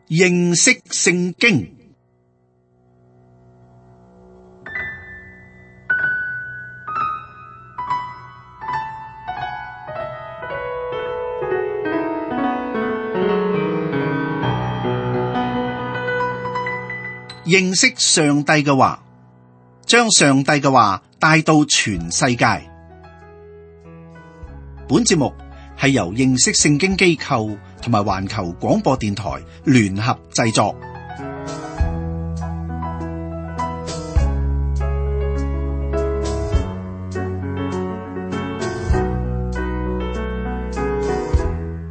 認識聖經。認識上帝嘅話，將上帝嘅話帶到全世界。本節目係由認識聖經機構同埋環球廣播電台聯合製作。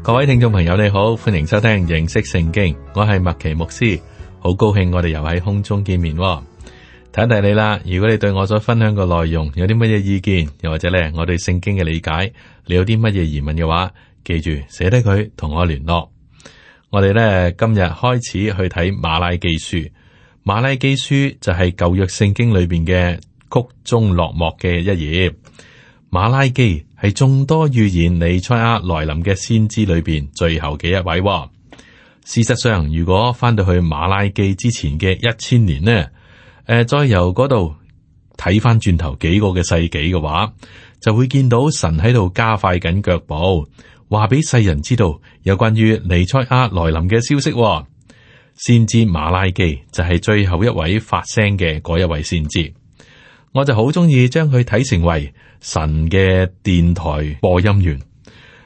各位聽眾朋友，你好，歡迎收聽認識聖經，我係麥奇牧師，好高興我哋又喺空中見面。提一提你啦，如果你對我所分享嘅內容有啲乜嘢意見，又或者咧我對聖經嘅理解，你有啲乜嘢疑問嘅話，記住寫低佢同我聯絡。我哋咧今日開始去睇馬拉基書。馬拉基書就係舊約聖經裏邊嘅曲終落幕嘅一頁。馬拉基係眾多預言彌賽亞來臨嘅先知裏邊最後嘅一位。事實上，如果翻到去馬拉基之前嘅1000年呢，再由嗰度睇翻轉頭幾個嘅世紀嘅話，就會見到神喺度加快緊腳步，話俾世人知道有關於彌賽亞來臨嘅消息。先知馬拉基就係最後一位發聲嘅嗰一位先知，我就好中意將佢睇成為神嘅電台播音員。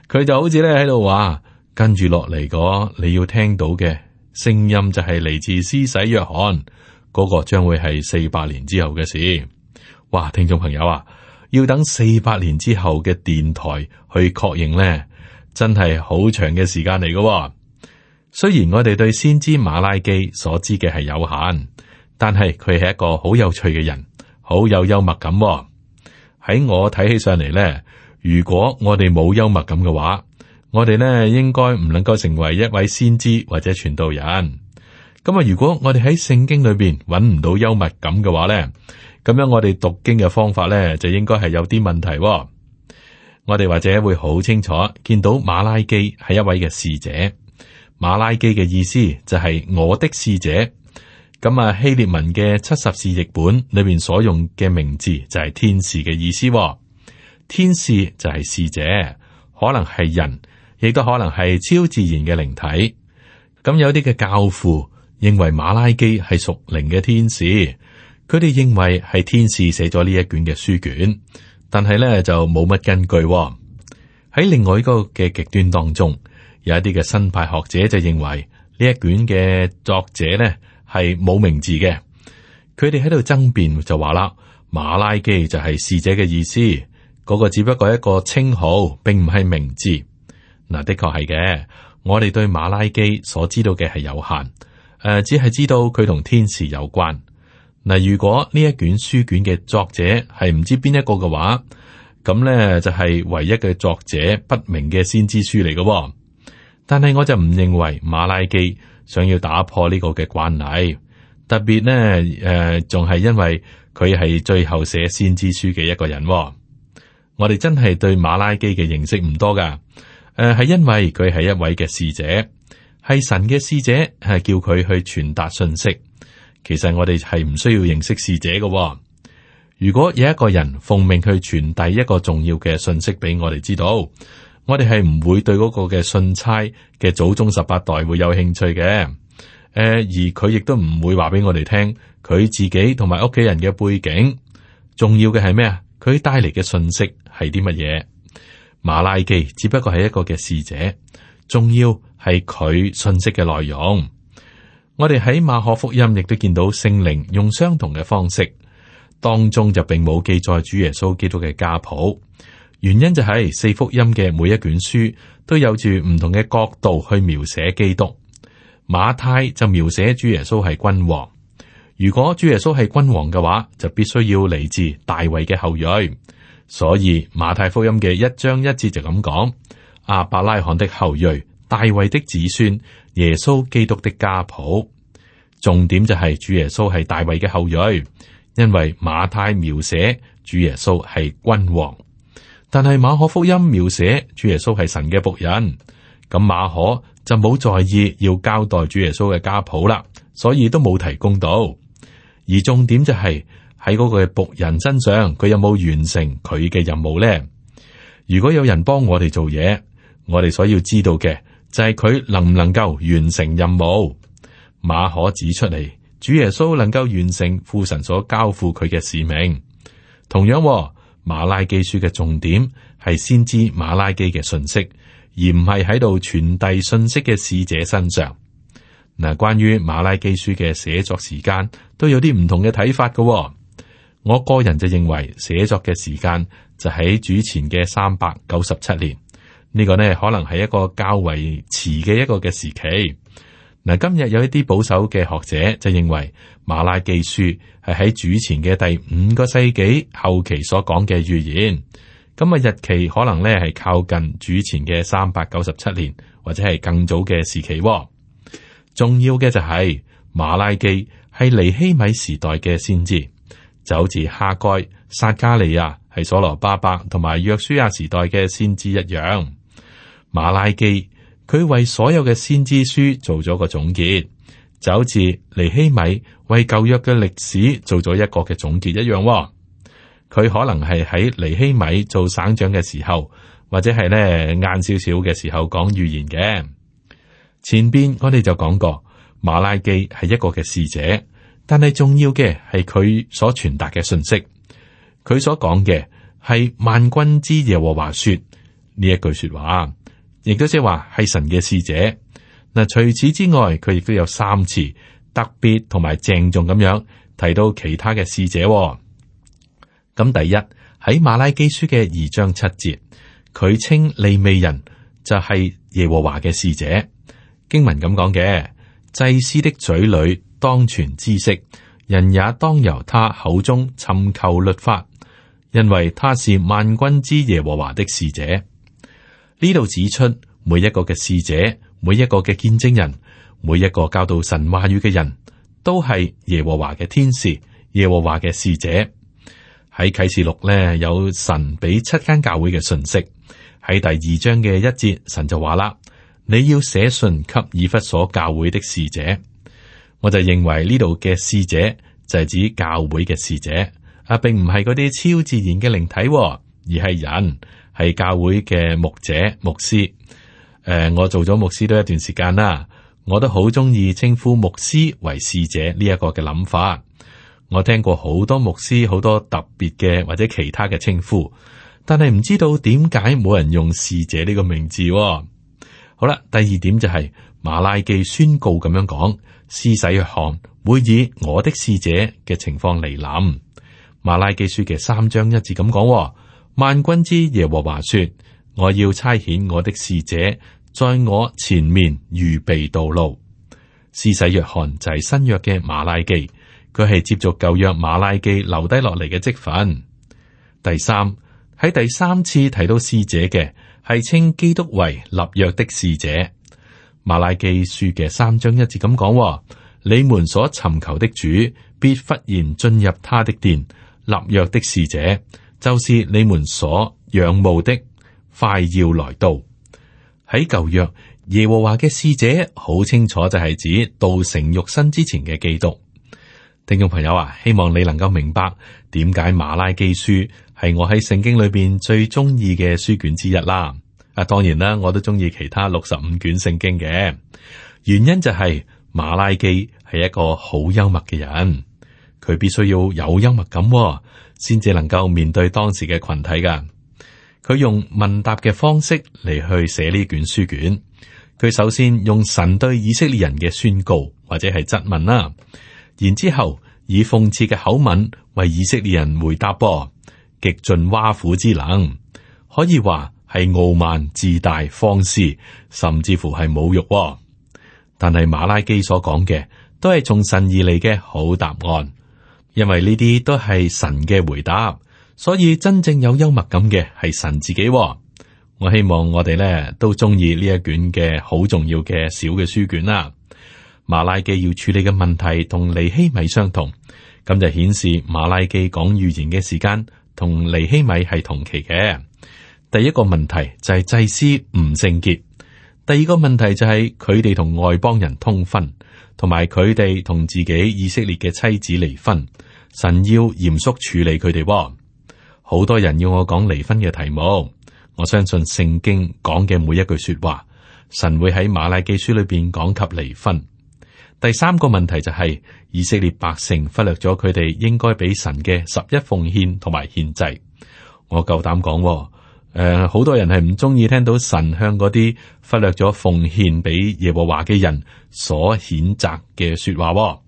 佢就好似咧喺度話，跟住落嚟嗰你要聽到嘅聲音就係嚟自施洗約翰。嗰個將會係400年之後嘅事。哇，聽眾朋友啊，要等400年之後嘅電台去確認呢，真係好長嘅時間嚟嘅。雖然我哋對先知馬拉基所知嘅係有限，但係佢係一個好有趣嘅人，好有幽默感。喺我睇起上嚟呢，如果我哋冇幽默感嘅話，我哋呢應該唔能夠成為一位先知或者傳道人。咁啊，如果我哋喺聖經裏邊揾唔到幽默感嘅話咧，咁樣我哋讀經嘅方法咧就應該係有啲問題。我哋或者會好清楚見到馬拉基係一位嘅使者。馬拉基嘅意思就係我的使者。咁啊，希臘文嘅70士譯本裏邊所用嘅名字就係天使嘅意思。天使就係使者，可能係人，亦都可能係超自然嘅靈體。咁有啲嘅教父認為馬拉基係屬靈嘅天使，佢哋認為係天使寫咗呢一卷嘅書卷，但係咧就冇乜根據。喺另外一個嘅極端當中，有一啲嘅新派學者就認為呢一卷嘅作者咧係冇名字嘅，佢哋喺度爭辯就話啦，馬拉基就係使者嘅意思，嗰個只不過係一個稱號，並唔係名字。嗱，的確係嘅，我哋對馬拉基所知道嘅係有限。只係知道佢同天使有關。嗱，如果呢一卷書卷嘅作者係唔知邊一個嘅話，咁咧就係唯一嘅作者不明嘅先知書嚟嘅。但係我就唔認為馬拉基想要打破呢個嘅慣例，特別呢，仲係因為佢係最後寫先知書嘅一個人。我哋真係對馬拉基嘅認識唔多噶，係因為佢係一位嘅使者。係神嘅使者，係叫佢去傳達信息。其實我哋係唔需要認識使者嘅。如果有一個人奉命去傳遞一個重要嘅信息俾我哋知道，我哋係唔會對嗰個嘅信差嘅祖宗18代會有興趣嘅。而佢亦都唔會話俾我哋聽佢自己同埋屋企人嘅背景。重要嘅係咩啊？佢帶嚟嘅信息係啲乜嘢？馬拉基只不過係一個嘅使者，重要係佢信息嘅內容。我哋喺馬可福音亦都見到聖靈用相同嘅方式，當中就並冇記載主耶穌基督嘅家譜。原因就係4福音嘅每一卷書都有住唔同嘅角度去描寫基督。馬太就描寫主耶穌係君王。如果主耶穌係君王嘅話，就必須要嚟自大衛嘅後裔。所以馬太福音嘅1章1節就咁講：亞伯拉罕的後裔，大衛的子孫，耶穌基督的家譜。重點就係主耶穌係大衛嘅後裔，因為馬太描寫主耶穌係君王，但係馬可福音描寫主耶穌係神嘅僕人。咁馬可就冇在意要交代主耶穌嘅家譜啦，所以都冇提供到。而重點就係喺嗰個僕人身上，佢有冇完成佢嘅任務呢？如果有人幫我哋做嘢，我哋所要知道嘅就係佢能唔能夠完成任務。馬可指出嚟，主耶穌能夠完成父神所交付佢嘅使命。同樣，馬拉基書嘅重點係先知馬拉基嘅信息，而唔係喺度傳遞信息嘅使者身上。嗱，關於馬拉基書嘅寫作時間都有啲唔同嘅睇法嘅。我個人就認為寫作嘅時間就喺主前嘅397年，呢個呢可能係一個較為遲嘅一個嘅時期。嗱，今日有一啲保守嘅學者就認為馬拉基書係喺主前嘅第5個世紀後期所講嘅預言，咁日期可能呢係靠近主前嘅397年或者係更早嘅時期。重要嘅就係馬拉基係尼希米時代嘅先知，就好似哈該、撒迦利亞係所羅巴伯同埋約書亞時代嘅先知一樣。馬拉基佢為所有嘅先知書做咗個總結，就好似尼希米為舊約嘅歷史做咗一個嘅總結一樣。佢可能係喺尼希米做省長嘅時候，或者係咧晏少少嘅時候講預言嘅。前邊我哋就講過，馬拉基係一個嘅使者，但係重要嘅係佢所傳達嘅信息。佢所講嘅係萬軍之耶和華說呢一句說話，亦都即係話係神嘅使者。嗱，除此之外，佢亦都有3次特別同埋鄭重咁樣提到其他嘅使者。咁第一喺馬拉基書嘅2章7節，佢稱利未人就係耶和華嘅使者。經文咁講嘅，祭司的嘴裏當存知識，人也當由他口中尋求律法，因為他是萬軍之耶和華的使者。呢度指出每一個嘅使者，每一個嘅見證人，每一個教導神話語嘅人，都係耶和華嘅天使，耶和華嘅使者。喺啟示錄呢，有神俾7間教會嘅信息。喺第2章嘅1節，神就話啦，你要寫信給以弗所教會的使者。我就認為呢度嘅使者就係指教會嘅使者，並唔係嗰啲超自然嘅靈體，而係人，係教會嘅牧者、牧師。我做咗牧師都一段時間啦，我都好中意稱呼牧師為使者呢一個嘅諗法。我聽過好多牧師好多特別嘅或者其他嘅稱呼，但係唔知道點解冇人用使者呢個名字。好啦，第2點就係馬拉基宣告咁樣講，施洗約翰會以我的使者嘅情況嚟臨。馬拉基書嘅3章1節咁講，萬軍之耶和華說，我要差遣我的使者在我前面預備道路。施洗約翰就係新約嘅馬拉基，佢係接續舊約馬拉基留低落嚟嘅職分。第3，喺第3次提到使者嘅係稱基督為立約的使者。馬拉基書嘅3章1節咁講，你們所尋求的主必忽然進入他的殿，立約的使者就是你們所仰慕的，快要來到。喺舊約耶和華嘅使者好清楚就係指道成肉身之前嘅基督。聽眾朋友啊，希望你能夠明白點解馬拉基書係我喺聖經裏邊最中意嘅書卷之一啦。當然啦，我都中意其他65卷聖經嘅。原因就係馬拉基係一個好幽默嘅人，佢必須要有幽默感，先至能夠面對當時嘅群體噶。佢用問答嘅方式嚟去寫呢卷書卷。佢首先用神對以色列人嘅宣告或者係質問啦，然之後以諷刺嘅口吻為以色列人回答噃，極盡挖苦之能，可以話係傲慢、自大、放肆，甚至乎係侮辱。但係馬拉基所講嘅都係從神而嚟嘅好答案，因為呢啲都係神嘅回答，所以真正有幽默感嘅係神自己。我希望我哋咧都中意呢一卷嘅好重要嘅小嘅書卷啦。馬拉基要處理嘅問題同尼希米相同，咁就顯示馬拉基講預言嘅時間同尼希米係同期嘅。第一個問題就係祭司唔聖潔，第二個問題就係佢哋同外邦人通婚，同埋佢哋同自己以色列嘅妻子離婚，神要嚴肅處理佢哋。好多人要我講離婚嘅題目，我相信聖經講嘅每一句說話，神會喺馬拉基書裏邊講及離婚。第三個問題就係以色列百姓忽略咗佢哋應該俾神嘅11奉獻同埋獻祭。我夠膽講，好多人係唔中意聽到神向嗰啲忽略咗奉獻俾耶和華嘅人所譴責嘅說話。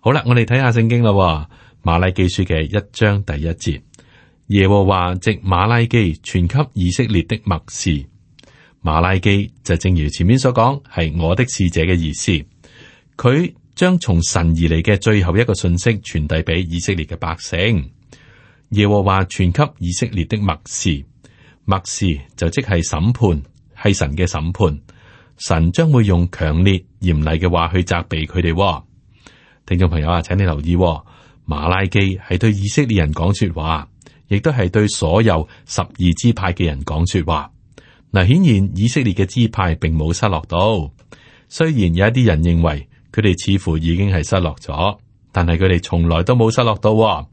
好啦，我哋睇下聖經啦，馬拉基書嘅1章第1節，耶和華藉馬拉基傳給以色列的默示。馬拉基就正如前面所講，係我的使者嘅意思。佢將從神而嚟嘅最後一個信息傳遞俾以色列嘅百姓。耶和華傳給以色列的默示，默示就即係審判，係神嘅審判。神將會用強烈嚴厲嘅話去責備佢哋。聽眾朋友啊，請你留意，馬拉基係對以色列人講說話，亦都係對所有12支派嘅人講說話。嗱，顯然以色列嘅支派並冇失落到，雖然有一啲人認為佢哋似乎已經係失落咗，但係佢哋從來都冇失落到。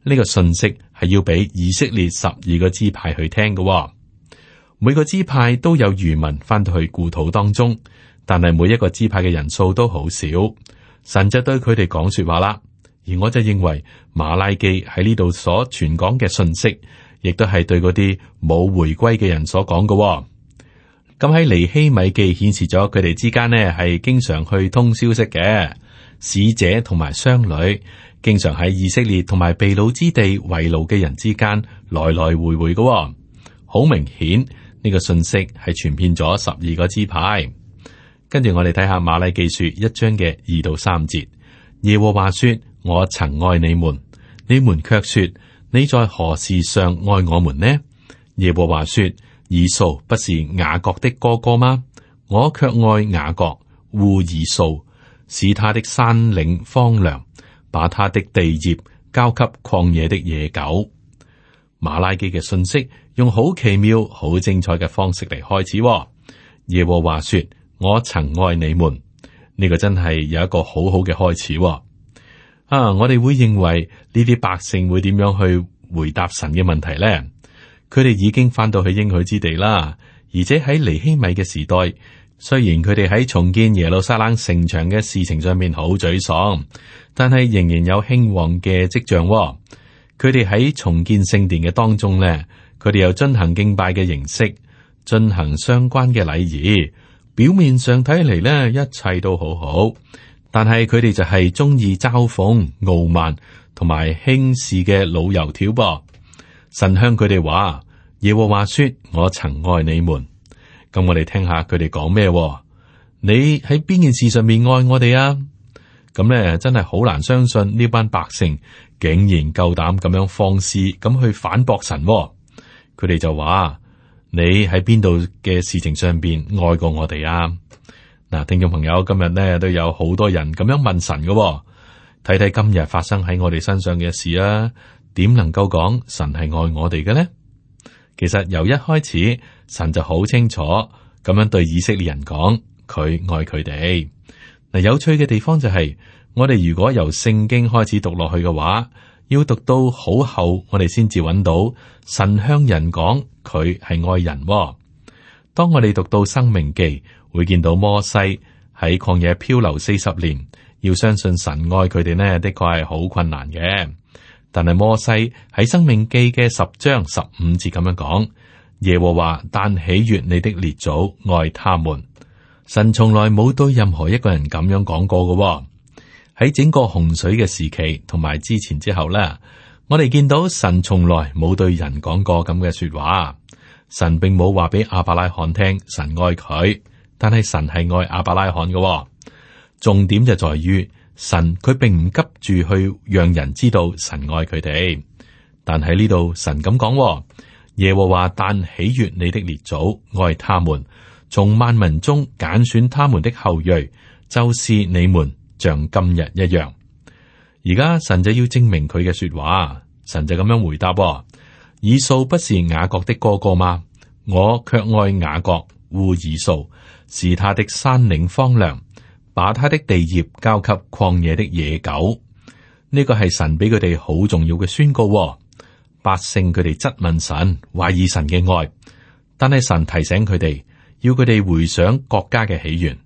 呢個信息係要俾以色列12個支派去聽嘅。每個支派都有餘民翻到去故土當中，但係每一個支派嘅人數都好少。神就對佢哋講說話啦。而我就認為馬拉基喺呢度所傳講嘅信息，亦都係對嗰啲冇回歸嘅人所講嘅。咁喺尼希米記顯示咗佢哋之間呢係經常去通消息嘅，使者同埋商旅經常喺以色列同埋被擄之地為奴嘅人之間來來回回嘅。好明顯呢個信息係傳遍咗12個支派。跟住我哋睇下馬拉基書1章嘅2到3節，耶和華說：我曾愛你們，你們卻說你在何事上愛我們呢？耶和華說：以掃不是雅各的哥哥嗎？我卻愛雅各，惡以掃，使他的山嶺荒涼，把他的地業交給曠野的野狗。馬拉基嘅信息用好奇妙、好精彩嘅方式嚟開始。耶和華說：我曾愛你們，呢個真係有一個好好嘅開始。我哋會認為呢啲百姓會點樣去回答神嘅問題呢？佢哋已經翻到去應許之地啦，而且喺尼希米嘅時代，雖然佢哋喺重建耶路撒冷城牆嘅事情上面好沮喪，但係仍然有興旺嘅跡象。佢哋喺重建聖殿嘅當中呢，佢哋有進行敬拜嘅形式，進行相關嘅禮儀。表面上睇嚟呢，一切都好好，但係佢哋就係中意嘲諷、傲慢同埋輕視嘅老油條噃。神向佢哋話：耶和華說，我曾愛你們。咁我哋聽下佢哋講咩？你喺邊件事上面愛我哋啊？咁咧真係好難相信呢班百姓竟然夠膽咁樣放肆咁去反駁神。佢哋就話：你喺邊度嘅事情上邊愛過我哋啊？嗱，聽眾朋友，今日咧都有好多人咁樣問神嘅，睇睇今日發生喺我哋身上嘅事啊，點能夠講神係愛我哋嘅呢？其實由一開始，神就好清楚咁樣對以色列人講，佢愛佢哋。嗱，有趣嘅地方就係，我哋如果由聖經開始讀落去嘅話，要讀到好後，我哋先至揾到神向人講佢係愛人。當我哋讀到申命記，會見到摩西喺曠野漂流40年，要相信神愛佢哋呢，的確係好困難嘅。但係摩西喺申命記嘅10章15節咁樣講：耶和華但喜悅你的列祖，愛他們。神從來冇對任何一個人咁樣講過嘅。喺整個洪水嘅時期同埋之前之後咧，我哋見到神從來冇對人講過咁嘅說話。神並冇話俾亞伯拉罕聽神愛佢，但係神係愛亞伯拉罕嘅。重點就在於神佢並唔急住去讓人知道神愛佢哋，但喺呢度神咁講：耶和華但喜悅你的列祖，愛他們，從萬民中揀選他們的後裔，就是你們，像今日一樣。而家神就要證明佢嘅說話，神就咁樣回答：以掃不是雅各的哥哥嗎？我卻愛雅各，惡以掃，使他的山嶺荒涼，把他的地業交給曠野的野狗。呢個係神俾佢哋好重要嘅宣告。百姓佢哋質問神，懷疑神嘅愛，但係神提醒佢哋，要佢哋回想國家嘅起源。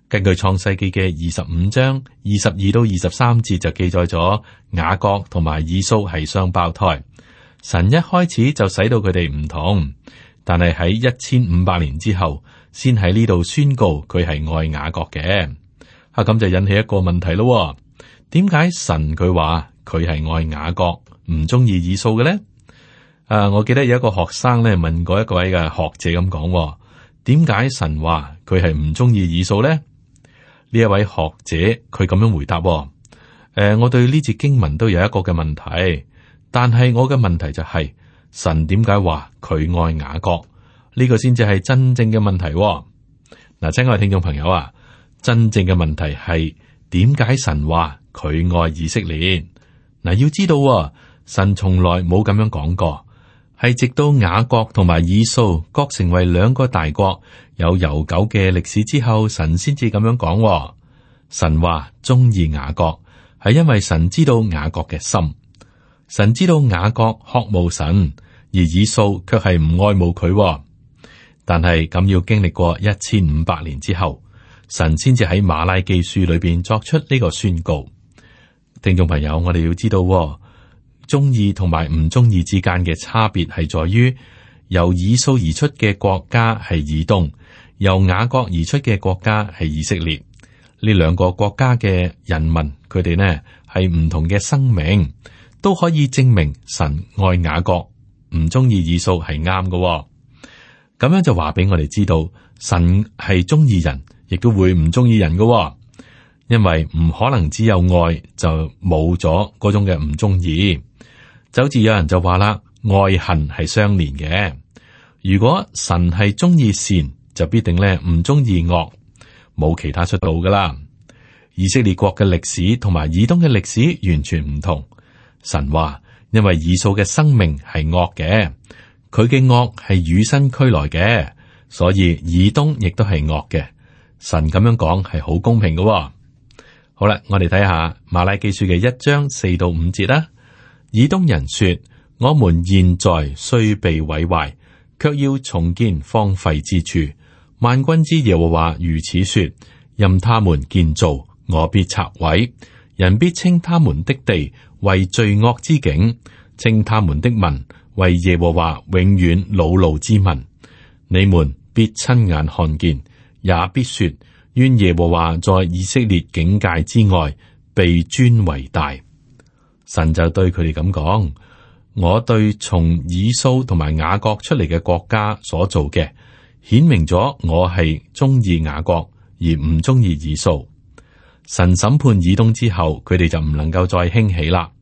根據創世記嘅25章22到23節就記載咗雅各同埋以掃係雙胞胎。神一開始就使到佢哋唔同，但係喺1500年之後，先喺呢度宣告佢係愛雅各嘅。咁就引起一個問題咯。點解神佢話佢係愛雅各，唔中意以掃嘅咧？我記得有一個學生咧問過一位嘅學者咁講，點解神話佢係唔中意以掃咧？呢一位學者佢咁樣回答，我對呢節經文都有一個嘅問題，但係我嘅問題就係、神點解話佢愛雅各？呢個先至係真正嘅問題。嗱，親愛嘅聽眾朋友啊，真正嘅問題係點解神話佢愛以色列？嗱，要知道神從來冇咁樣講過，係直到雅各同埋以掃各成為兩個大國，有悠久嘅歷史之後，神先至咁樣講。神話中意雅各，係因為神知道雅各嘅心，神知道雅各渴慕神，而以掃卻係唔愛慕佢。但係咁要經歷過1500年之後，神先至喺馬拉基書裏邊作出呢個宣告。聽眾朋友，我哋要知道，中意同埋唔中意之間嘅差別係在於，由以掃而出嘅國家係以東，由雅各而出嘅國家係以色列。呢兩個國家嘅人民，佢哋呢係唔同嘅生命，都可以證明神愛雅各，唔中意以掃係啱嘅。咁樣就話俾我哋知道，神係中意人，亦都會唔中意人嘅。因為唔可能只有愛就冇咗嗰種嘅唔中意。就好似有人就話啦，愛恨係相連嘅。如果神係中意善，就必定咧唔中意惡，冇其他出路噶啦。以色列國嘅歷史同埋以東嘅歷史完全唔同。神話因為以掃嘅生命係惡嘅，佢嘅惡係與生俱來嘅，所以以東亦都係惡嘅。神咁樣講係好公平嘅。好啦，我哋睇下馬拉基書嘅1章4到5節啦。以東人說：我們現在雖被毀壞，卻要重建荒廢之處。萬軍之耶和華如此說：任他們建造，我必拆毀。人必稱他們的地為罪惡之境，稱他們的民為耶和華永遠惱怒之民。你們必親眼看見，也必說：願耶和華在以色列境界之外被尊為大。神就對佢哋咁講：我對從以掃同埋雅各出嚟嘅國家所做嘅，顯明咗我係中意雅各而唔中意以掃。神審判以東之後，佢哋就唔能夠再興起啦。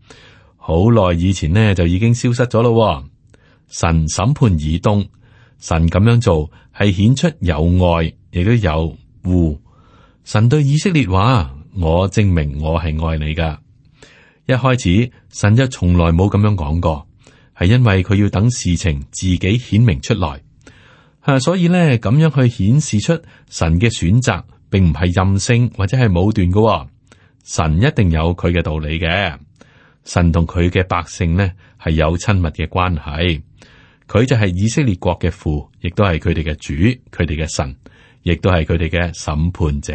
好耐以前呢，就已經消失咗咯。神審判以東，神咁樣做係顯出有愛，亦都有惡。神對以色列話：我證明我係愛你噶。一開始神就從來冇咁樣講過，係因為佢要等事情自己顯明出來。所以呢，咁樣去顯示出神嘅選擇，並唔係任性或者係武斷噶。神一定有佢嘅道理嘅。神同佢嘅百姓呢係有親密嘅關係，佢就係以色列國嘅父，亦都係佢哋嘅主，佢哋嘅神，亦都係佢哋嘅審判者。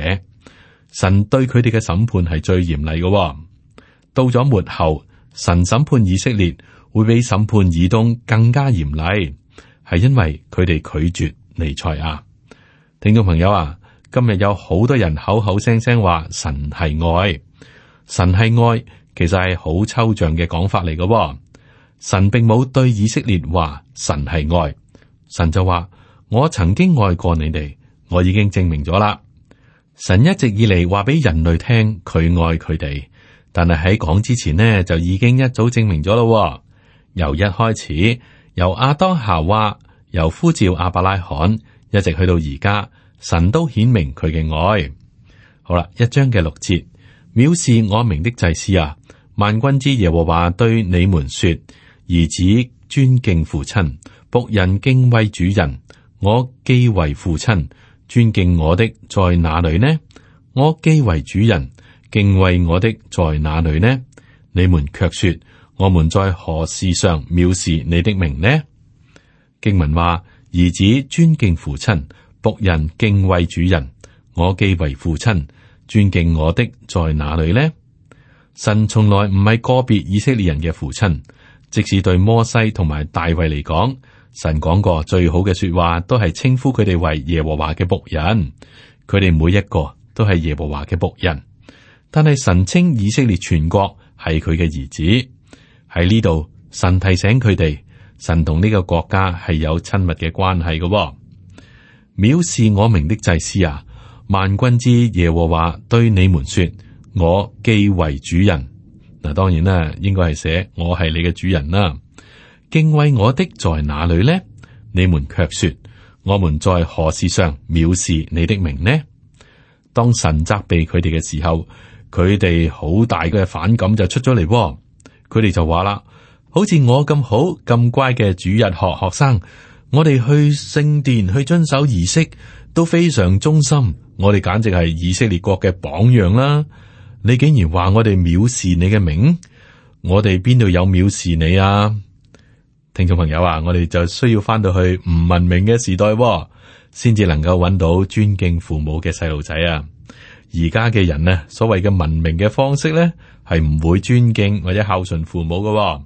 神對佢哋嘅審判係最嚴厲嘅。到咗末後，神審判以色列會比審判以東更加嚴厲，係因為佢哋拒絕彌賽亞。聽眾朋友啊，今日有好多人口口聲聲話神係愛，神係愛，其實係好抽象嘅講法嚟嘅。神並冇對以色列話神係愛，神就話我曾經愛過你哋，我已經證明咗啦。神一直以嚟話俾人類聽佢愛佢哋，但係喺講之前呢，就已經一早證明咗咯。由一開始，由亞當夏娃，由呼召亞伯拉罕，一直去到而家，神都顯明佢嘅愛。好啦，1章嘅6節，藐視我名的祭司啊，萬軍之耶和華對你們說：兒子尊敬父親，僕人敬畏主人。我既為父親，尊敬我的在哪裏呢？我既為主人，敬畏我的在哪裏呢？你們卻說，我們在何事上藐視你的名呢？經文話，兒子尊敬父親，僕人敬畏主人。我既為父親，尊敬我的在哪裏呢？神從來唔係個別以色列人嘅父親，即使對摩西同埋大衛嚟講，神講過最好嘅說話，都係稱呼佢哋為耶和華嘅僕人。佢哋每一個都係耶和華嘅僕人，但係神稱以色列全國係佢嘅兒子。喺呢度，神提醒佢哋，神同呢個國家係有親密嘅關係嘅。藐視我名的祭司啊，萬軍之耶和華對你們說，我既為主人。嗱，當然啦，應該係寫我係你嘅主人啦。敬畏我的在哪裏呢？你們卻說，我們在何事上藐視你的名呢？當神責備佢哋嘅時候，佢哋好大嘅反感就出咗嚟。佢哋就話啦，好似我咁好咁乖嘅主日學生，我哋去聖殿去遵守儀式都非常忠心，我哋簡直係以色列國嘅榜樣啦。你竟然話我哋藐視你嘅名，我哋邊度有藐視你啊？聽眾朋友啊，我哋就需要翻到去唔文明嘅時代，先至能夠揾到尊敬父母嘅細路仔啊！而家嘅人呢，所謂嘅文明嘅方式呢，係唔會尊敬或者孝順父母嘅。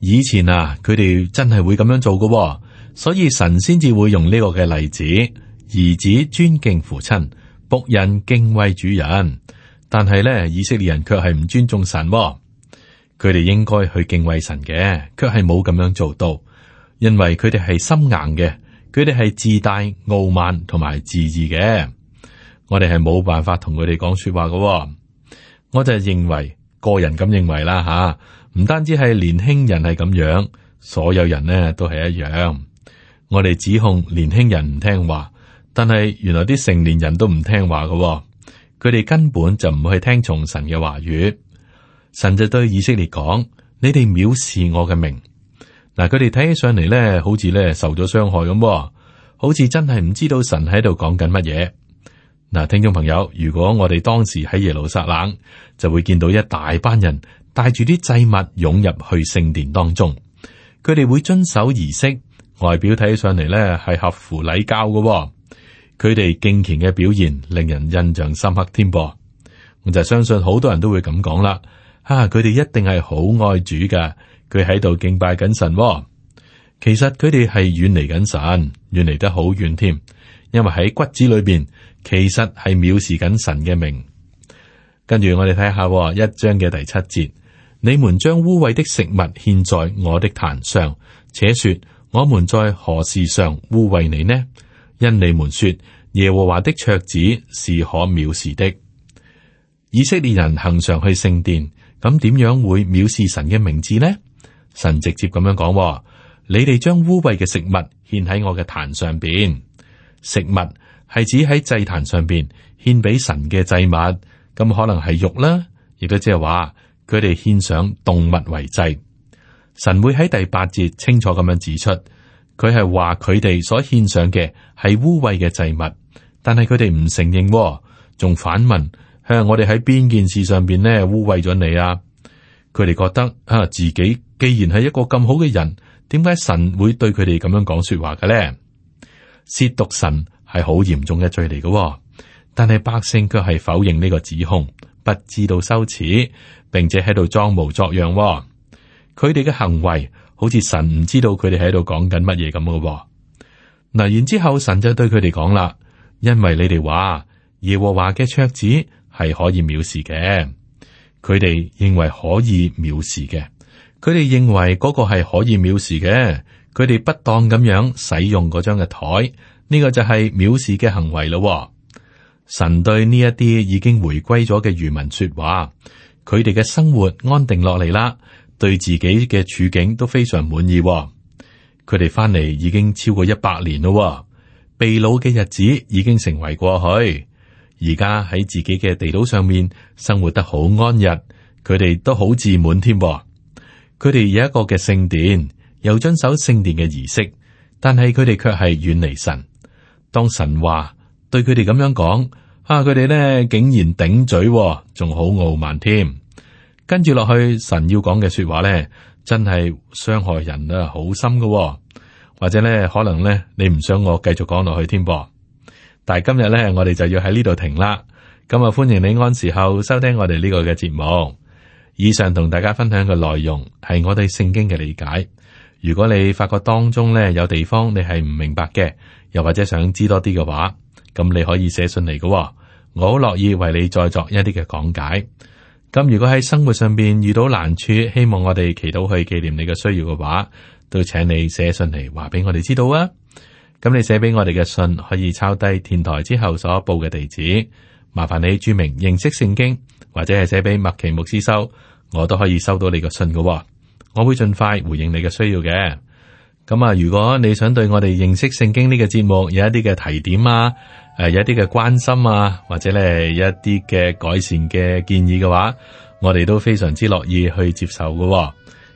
以前啊，佢哋真係會咁樣做嘅，所以神先至會用呢個嘅例子：兒子尊敬父親，僕人敬畏主人。但係呢，以色列人卻係唔尊重神。佢哋應該去敬畏神嘅，卻係冇咁樣做到，因為佢哋係心硬嘅，佢哋係自大、傲慢同埋自義嘅。我哋係冇辦法同佢哋講說話嘅。我就認為，個人咁認為啦吓，唔單止係年輕人係咁樣，所有人呢都係一樣。我哋指控年輕人唔聽話，但係原來啲成年人都唔聽話嘅，佢哋根本就唔去聽從神嘅話語。神就對以色列講：你哋藐視我嘅名。嗱，佢哋睇起上嚟咧，好似咧受咗傷害咁，好似真係唔知道神喺度講緊乜嘢。嗱，聽眾朋友，如果我哋當時喺耶路撒冷，就會見到一大班人帶住啲祭物湧入去聖殿當中，佢哋會遵守儀式，外表睇起上嚟咧係合乎禮教嘅。佢哋敬虔嘅表現令人印象深刻添噃。我就相信好多人都會咁講啦。佢哋一定係好愛主噶，佢喺度敬拜緊神。其實佢哋係遠離緊神，遠離得好遠添，因為喺骨子裏邊，其實係藐視緊神嘅名。跟住我哋睇下1章嘅第7節，你們將污穢的食物獻在我的壇上，且說我們在何事上污穢你呢？因你們說耶和華的桌子是可藐視的。以色列人恆常去聖殿，咁點樣會藐視神嘅名字呢？神直接咁樣講：你哋將污穢嘅食物獻喺我嘅壇上邊。食物係指喺祭壇上邊獻俾神嘅祭物，咁可能係肉啦，亦都即係話佢哋獻上動物為祭。神會喺第8節清楚咁樣指出，佢係話佢哋所獻上嘅係污穢嘅祭物，但係佢哋唔承認，仲反問：我哋喺邊件事上邊呢污穢咗你啊？佢哋覺得自己既然係一個咁好嘅人，點解神會對佢哋咁樣講說話嘅咧？褻瀆神係好嚴重嘅罪嚟嘅，但係百姓卻係否認呢個指控，不知道羞恥，並且喺度裝模作樣。佢哋嘅行為好似神唔知道佢哋喺度講緊乜嘢咁嘅。嗱，然之後神就對佢哋講啦：因為你哋話耶和華嘅桌子係可以藐視嘅，佢哋認為可以藐視嘅，佢哋認為嗰個係可以藐視嘅，佢哋不當咁樣使用嗰張嘅台，呢個就係藐視嘅行為咯。神對呢一啲已經回歸咗嘅餘民說話，佢哋嘅生活安定落嚟啦，對自己嘅處境都非常滿意。佢哋翻嚟已經超過100年咯，被擄嘅日子已經成為過去。而家喺自己嘅地島上面生活得好安逸，佢哋都好自滿添。佢哋有一個嘅聖殿，又遵守聖殿嘅儀式，但係佢哋卻係遠離神。當神話對佢哋咁樣講，佢哋咧竟然頂嘴，仲好傲慢添。跟住落去，神要講嘅說話咧，真係傷害人啊，好深噶。或者咧，可能咧，你唔想我繼續講落去添噃。但係今日咧，我哋就要喺呢度停啦。咁啊，歡迎你按時候收聽我哋呢個嘅節目。以上同大家分享嘅內容係我哋聖經嘅理解。如果你發覺當中咧有地方你係唔明白嘅，又或者想知多啲嘅話，咁你可以寫信嚟嘅，我好樂意為你再作一啲嘅講解。咁如果喺生活上邊遇到難處，希望我哋祈禱去紀念你嘅需要嘅話，都請你寫信嚟話俾我哋知道啊。咁你寫俾我哋嘅信可以抄低電台之後所報嘅地址，麻煩你注明認識聖經，或者係寫俾麥奇牧師收，我都可以收到你嘅信嘅。我會盡快回應你嘅需要嘅。咁啊，如果你想對我哋認識聖經呢個節目有一啲嘅提點啊，有一啲嘅關心啊，或者咧有一啲嘅改善嘅建議嘅話，我哋都非常之樂意去接受嘅。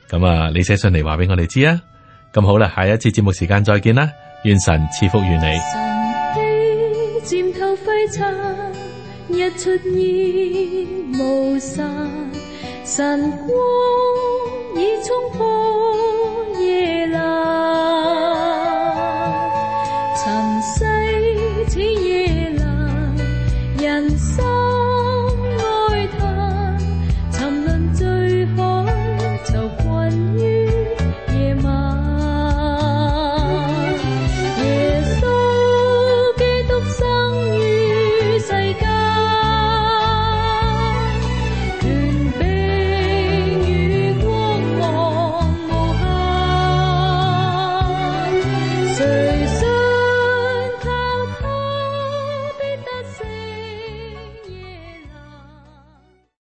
咁啊，你寫信嚟話俾我哋知啊。咁好啦，下一次節目時間再見啦，願神賜福於你。晨曦漸透輝燦，日出現無散，晨光已衝破